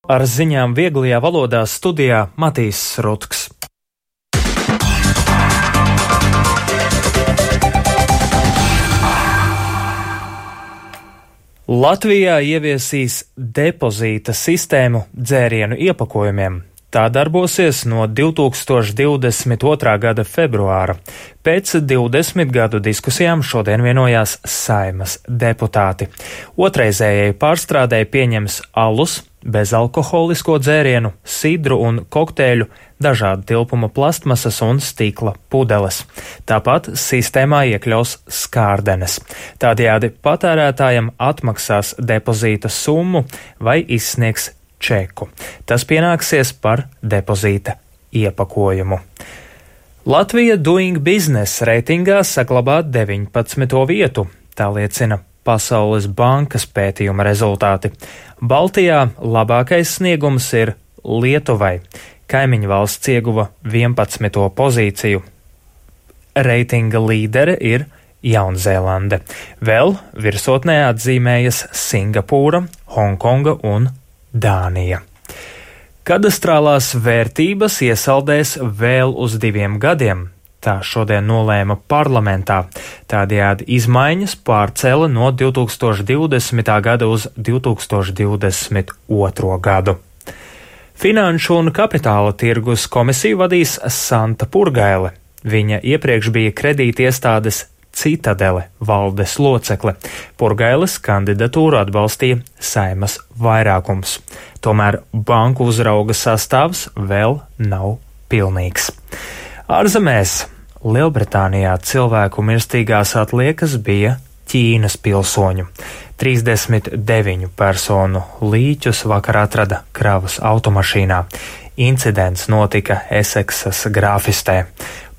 Ar ziņām vieglajā valodā studijā Matīs Rutks. Latvijā ieviesīs depozīta sistēmu dzērienu iepakojumiem. Tā darbosies no 2022. gada februāra. Pēc 20 gadu diskusijām šodien vienojās Saeimas deputāti. Otrreizējai pārstrādei pieņems alus, bezalkoholisko dzērienu, sidru un kokteļu, dažādu tilpuma plastmasas un stikla pudeles. Tāpat sistēmā iekļaus skārdenes. Tādējādi patērētājam atmaksās depozīta summu vai izsniegs čeku. Tas pienāksies par depozīta iepakojumu. Latvija Doing Business reitingā saglabā 19. vietu. Tā liecina Pasaules bankas pētījuma rezultāti. Baltijā labākais sniegums ir Lietuvai. Kaimiņu valsts ieguva 11. pozīciju. Reitinga līdere ir Jaunzēlande. Vēl virsotnē atzīmējas Singapūra, Hongkonga un Dānija. Kadastrālās vērtības iesaldēs vēl uz 2 gadiem. Tā šodien nolēma parlamentā. Tādējādi izmaiņas pārcēla no 2020. gada uz 2022. gadu. Finanšu un kapitāla tirgus komisiju vadīs Santa Purgaile. Viņa iepriekš bija kredītiestādes Citadele valdes locekle. Purgailes kandidatūru atbalstīja Saeimas vairākums. Tomēr banku uzrauga sastāvs vēl nav pilnīgs. Ārzemēs Lielbritānijā cilvēku mirstīgās atliekas bija Ķīnas pilsoņu. 39 personu līķus vakar atrada kravas automašīnā. Incidents notika Eseksas grāfistē.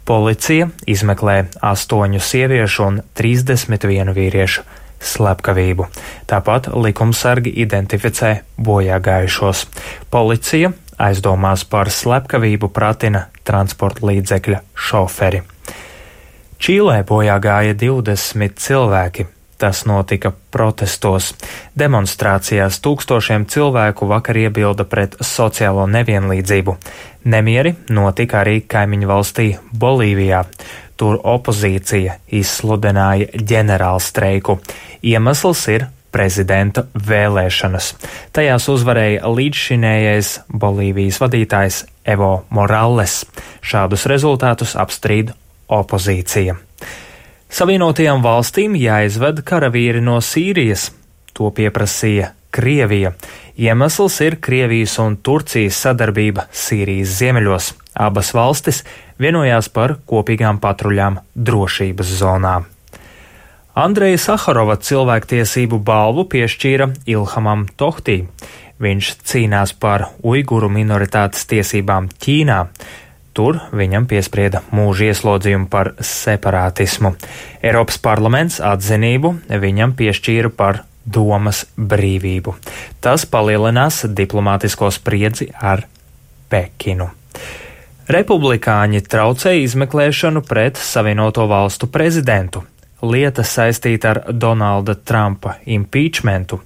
Policija izmeklē 8 sieviešu un 31 vīriešu slepkavību. Tāpat likumsargi identificē bojāgājušos. Policija aizdomās par slepkavību pratina transporta līdzekļa šoferi. Čīlē bojāgāja 20 cilvēki. Tas notika protestos. Demonstrācijās tūkstošiem cilvēku vakar iebilda pret sociālo nevienlīdzību. Nemieri notika arī kaimiņu valstī Bolīvijā. Tur opozīcija izsludināja ģenerālstreiku. Iemesls ir prezidenta vēlēšanas. Tajās uzvarēja līdzšinējais Bolīvijas vadītājs Evo Morales. Šādus rezultātus apstrīd opozīcija. Savienotajām valstīm jāizved karavīri no Sīrijas. To pieprasīja Krievija. Iemesls ir Krievijas un Turcijas sadarbība Sīrijas ziemeļos. Abas valstis vienojās par kopīgām patruļām drošības zonā. Andreja Saharova cilvēktiesību balvu piešķīra Ilhamam Tohtī. Viņš cīnās par uiguru minoritātes tiesībām Ķīnā. Tur viņam piesprieda mūža ieslodzījumu par separātismu. Eiropas parlaments atzinību viņam piešķīra par domas brīvību. Tas palielinās diplomātisko spriedzi ar Pekinu. Republikāņi traucēja izmeklēšanu pret Savienoto valstu prezidentu. Lieta saistīta ar Donalda Trumpa impeachmentu.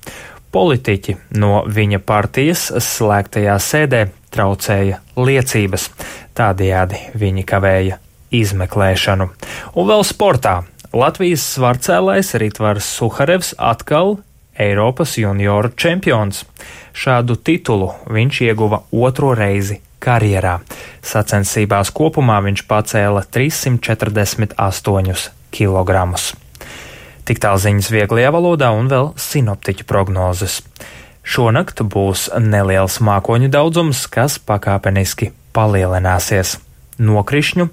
Politiķi no viņa partijas slēgtajā sēdē traucēja liecības. Tādējādi viņi kavēja izmeklēšanu. Un vēl sportā. Latvijas svarcēlājs Ritvars Suharevs atkal Eiropas junioru čempions. Šādu titulu viņš ieguva 2. reizi karjerā. Sacensībās kopumā viņš pacēla 348 kilogramus. Tik tālu ziņas vieglajā valodā un vēl sinoptiķu prognozes. Šonakt būs neliels mākoņu daudzums, kas pakāpeniski palielināsies. Nokrišņu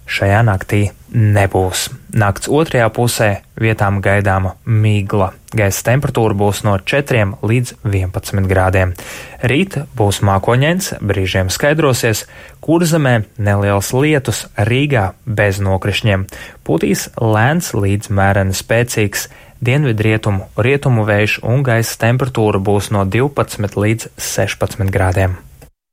šajā naktī nebūs. Nakts otrajā pusē vietām gaidāma migla. Gaisa temperatūra būs no 4 līdz 11 grādiem. Rīt būs mākoņains, brīžiem skaidrosies, Kurzemē neliels lietus, Rīgā bez nokrišņiem. Pūtīs lēns līdz mēreni spēcīgs dienvidrietumu, rietumu vējš un gaisa temperatūra būs no 12 līdz 16 grādiem.